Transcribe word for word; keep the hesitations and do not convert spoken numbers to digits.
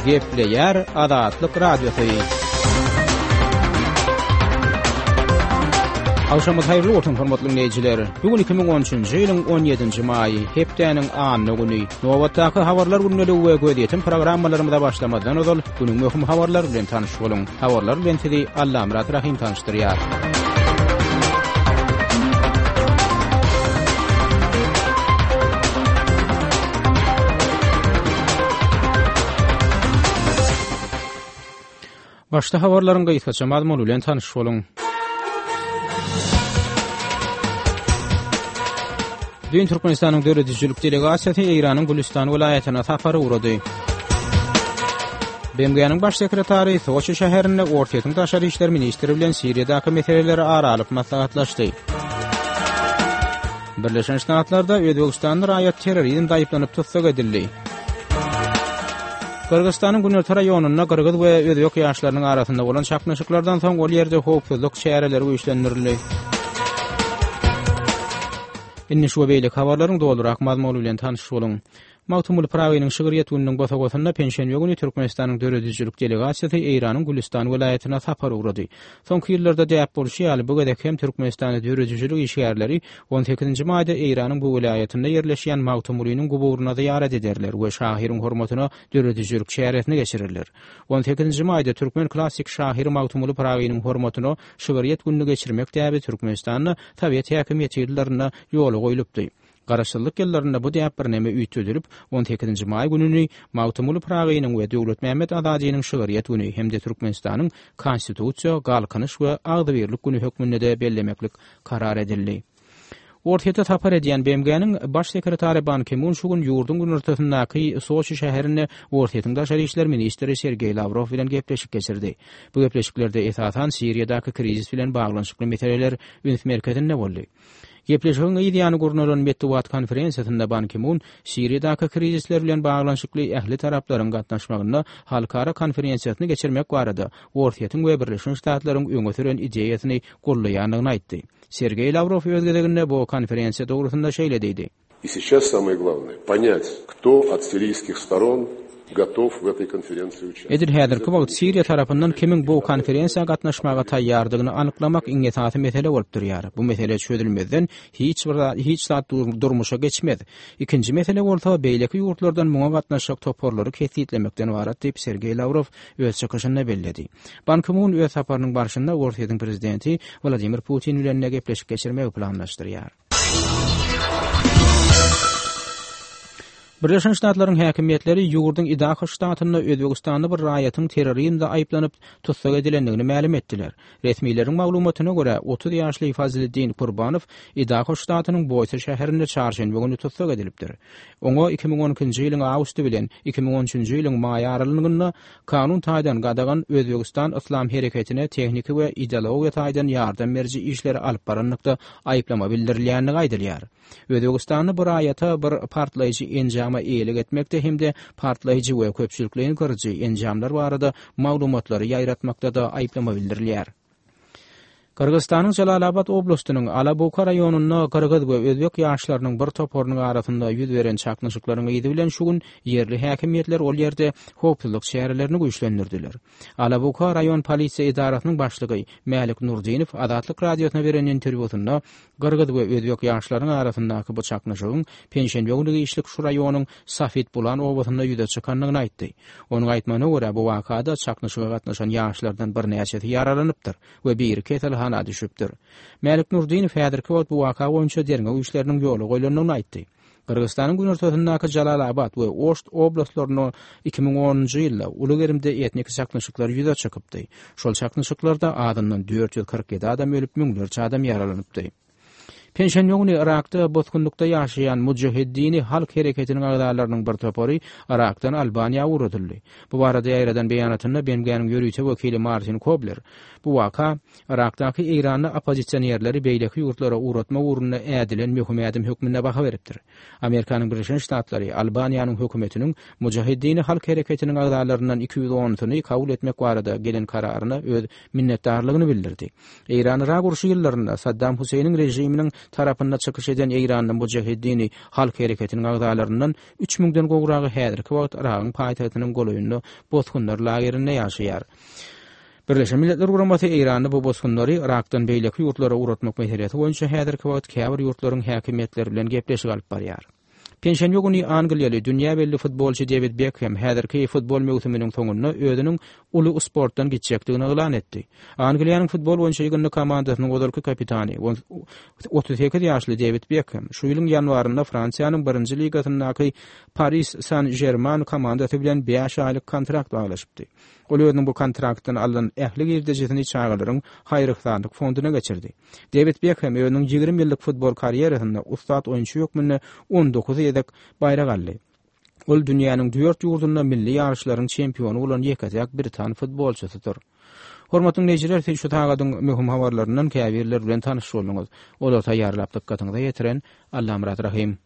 Gepleýär Azatlyk Radiosy. Agşamyňyz haýyrly bolsun, hormatly diňleýjiler. Bu gün iki müň on üçünji ýylyň on ýedinji maýy, hepdäniň anna güni. Nobatdaky habarlar gündeligi we gözýetim programmalarymyza başlamazdan ozal, günüň möhüm habarlary bilen tanyş boluň. Habarlar bilen sizi Allamyrat Rahym tanyşdyrýar. Başda habarlaryň gysgaça mazmuny bilen tanyş boluň. Düýn Türkmenistanyň döredijilik delegasiýasy Eýranyň Gülüstan welaýatyna sapar ugrady. B M G-niň baş sekretary Soçi şäherinde Orsýetiň daşary işler ministri bilen Siriýadaky meseleleri ara alyp maslahatlaşdy. Birleşen Ştatlarda Özbegistanly raýat terrorizmde aýyplanyp tussag edildi. Gyrgyzystanyň günorta raýonynda gyrgyz we özbek ýaşlarynyň arasynda bolan çaknyşyklardan soň ol ýerde howpsuzlyk çäreleri güýçlendirildi. Indi şu we beýleki habarlaryň dolurak mazmuny bilen tanyş boluň. Magtymguly Pyragynyň şygryýet gününiň bosagasynda penşenbe güni Türkmenistanyň döredijilik delegasiýasy Eýranyň Gülüstan welaýatyna sapar ugrady. Soňky ýyllarda däp bolşy ýaly, bu gezek hem Türkmenistanyň döredijilik işgärleri on sekizinji maýda Eýranyň bu welaýatynda ýerleşýän Magtymgulynyň guburyna zyýarat ederler we şahyryň hormatyna döredijilik çäresini geçirerler. On sekizinji maýda türkmen klassyk şahyry Magtymguly Pyragynyň hormatyna şygryýet gününi geçirmek däbi Türkmenistanda Sowet häkimiýeti ýyllarynda ýola goýlupdy. Garaşsyzlyk ýyllarynda bu däp birneme üýtgedilip, on sekizinji maý gününi Magtymguly Pyragynyň we Döwletmämmet Azadynyň şygryýet güni hem-de Türkmenistanyň Konstitusiýa, Galkynyş we Agzybirlik güni hökmünde-de bellemeklik karar edildi. Orsýete sapar edýän B M G-niň baş sekretary Ban Ki-mun şu gün ýurduň günortasyndaky Soçi şäherinde Orsýetiň daşary işler ministri Sergeý Lawrow bilen gepleşik geçirdi. Bu gepleşiklerde esasan Siriýadaky krizis bilen baglanyşykly meseleler üns merkezinde boldy. Gepleşigiň yz ýany gurnalan metbugat konferensiýasynda Ban Ki-mun Siriýadaky krizisler bilen baglanyşykly ähli taraplaryň gatnaşmagynda halkara konferensiýasyny geçirmek barada Orsýetiň we Birleşen Ştatlaryň öňe süren ideýasyny goldaýandygyny aýtdy. Sergeý Lawrow öz gezeginde bu konferensiýa dogrusynda şeýle diýdi. И сейчас самое главное понять, кто от сирийских сторон готов в этой конференции участвовать. Edil häzirki wagt Siriýa tarapyndan kimiň bu konferensiýa gatnaşmaga taýýardygyny anyklamak iň esasy mesele bolup durýar. Bu mesele çözülmezden hiç bir zat, hiç zat durmuşa geçmez. Ikinji mesele bolsa beýleki ýurtlardan muňa gatnaşjak toparlary kesgitlemekden ybarat diýip Sergeý Lawrow öz çykyşynda belledi. Ban Ki-mun öz saparynyň barşynda Orsýetiň prezidenti Wladimir Putin bilen gepleşik geçirmegi planlaşdyrýar. Birleşen Ştatlaryň häkimiýetleri ýurduň Idaho ştatynda Özbegistanly bir raýatyň terrorizmde aýyplanyp tussag edilendigini mälim etdiler. Resmileriň maglumatyna görä, otuz ýaşly Fazliddin Kurbanow Idaho ştatynyň Boise şäherinde çarşenbe güni tussag edilipdir. Oňa iki müň on ikinji ýylyň awgusty bilen iki müň on üçünji ýylyň maý aralygynda kanun taýdan gadagan Özbegistan Yslam hereketine tehniki we ideologiýa taýdan ýardam beriji işleri alyp baranlykda aýyplama bildirilýändigi aýdylýar. Özbegistanly bir raýata bir partlaýjy enjama eýelik etmekde hem-de partlaýjy we köpçülikleýin gyryjy enjamlar barada maglumatlary ýaýratmakda da aýyplama bildirilýär. Gyrgyzystanyň Jalalabad oblastynyň Alabuka raýonynda gyrgyz we özbek ýaşlarynyň bir toparynyň arasynda ýüz beren çaknyşyklaryň yzy bilen şu gün ýerli häkimiýetler ol ýerde howpsuzlyk çärelerini güýçlendirdiler. Alabuka raýon polisiýa edarasynyň başlygy Mälik Nurdinow Azatlyk radiosyna beren interwýusynda gyrgyz we özbek ýaşlarynyň arasyndaky bu çaknyşygyň penşenbe güni işlik şu raýonyň Safit Bulan obasynda ýüze çykandygyny aýtdy. Onuň aýtmagyna görä, bu wakada çaknyşyga gatnaşan ýaşlardan birnäçesi ýaralanypdyr we biri keselhana düşüpdir. Mälik Nurdinow häzirki wagt bu waka boýunça derňew işleriniň ýola goýlandygyny aýtdy. Gyrgyzystanyň günortasyndaky Jalalabad we Oşt oblastlarynda iki müň onunjy ýylda uly gerimde etnik çaknyşyklar ýüze çykypdy. Şol çaknyşyklarda azyndan dört ýüz kyrk ýedi adam ölüp, müňlerçe adam ýaralanypdy. Penşenbe güni Irakda bosgunlykda ýaşaýan Mujahiddini halk hereketiniň agzalarynyň bir topary Irakdan Albaniýa ugradyldy. Bu barada ýaýradan beýanatynda B M G-niň ýörite wekili Martin Kobler bu waka Irakdaky Eýranly oppozisionerleri beýleki ýurtlara ugratmak ugrunda ädilen möhüm ädim hökmünde baha beripdir. Amerikanyň Birleşen Ştatlary Albaniýanyň hökümetiniň Mujahiddini halk hereketiniň agzalaryndan iki ýüz onusyny kabul etmek barada gelen kararyna öz minnetdarlygyny bildirdi. Eýran-Irak urşy ýyllarynda Saddam Hüseýniň režiminiň tarapynda çykyş eden Eýranly Mujahiddini Halk hereketiniň agzalaryndan üç müňden gowragy häzirki wagt Yragyň paýtagtynyň golaýynda bosgunlar lagerinde ýaşaýar. Birleşen Milletler Guramasy Eýranly bu bosgunlary Yrakdan beýleki ýurtlara ugratmak meselesi boýunça häzirki wagt käbir ýurtlaryň häkimiýetleri bilen gepleşik alyp barýar. Penşenbe güni angliýaly dünýä belli futbolçy Dewid Bekhem häzirki futbol möwsüminiň soňunda özüniň uly sportdan gitjekdigini yglan etdi. Angliýanyň futbol boýunça ýygyndy komandasynyň ozalky kapitany otuz sekiz ýaşly Dewid Bekhem şu ýylyň ýanwarynda Fransiýanyň birinji ligasyndaky Paris San-Žerman komandasy bilen bäş aýlyk kontrakt baglaşypdy. Ol özüniň bu kontraktdan alnan ähli girdejisini çagalaryň haýyr-yhsanlyk fonduna geçirdi. Dewid Bekhem özüniň ýigrimi ýyllyk futbol karýerasynda ussat oýunçy hökmünde on dokuz gezek baýrak aldy. Ol dünýäniň dört ýurdunda milli ýaryşlaryň çempiony bolan ýeke-täk britan futbolçysydyr. Hormatly dinleýjiler, siz şu sagadyň möhüm habarlaryndan käbirleri bilen tanyş bolduňyz. Olary taýýarlap dykgatyňyza ýetiren Allamyrat Rahym.